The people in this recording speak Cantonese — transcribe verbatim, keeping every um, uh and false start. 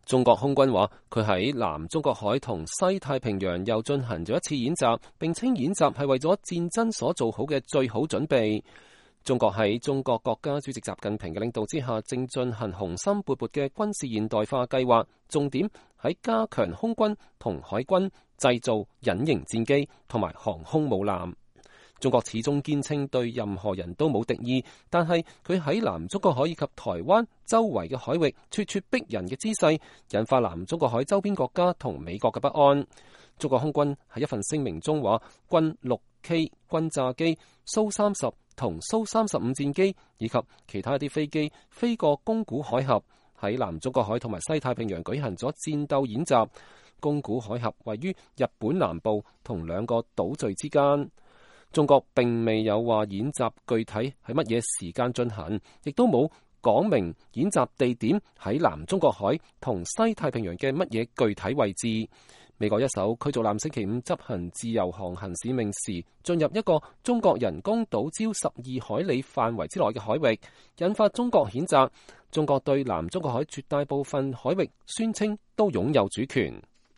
中國空軍話，佢喺南中國海同西太平洋又進行咗一次演習，並稱演習係為咗戰爭所做好嘅最好準備。中國喺中國國家主席習近平嘅領導之下，正進行雄心勃勃嘅軍事現代化計劃，重點喺加強空軍同海軍製造隱形戰機同埋航空母艦。中國始終堅稱對任何人都冇敵意，但係佢喺南中國海以及台灣周圍嘅海域咄咄逼人嘅姿勢，引發南中國海周邊國家同美國嘅不安。中國空軍喺一份聲明中話，軍六 K 轟炸機、蘇三十同蘇三十五戰機以及其他一啲飛機飛過宮古海峽，喺南中國海同埋西太平洋舉行咗戰鬥演習。宮古海峽位於日本南部同兩個島嶼之間。中國並未有話演習具體喺乜嘢時間進行，亦都冇講明演習地點喺南中國海同西太平洋嘅乜嘢具體位置。美國一艘驅逐艦星期五執行自由航行使命時，進入一個中國人工島礁十二海里範圍之內嘅海域，引發中國譴責。中國對南中國海絕大部分海域宣稱都擁有主權。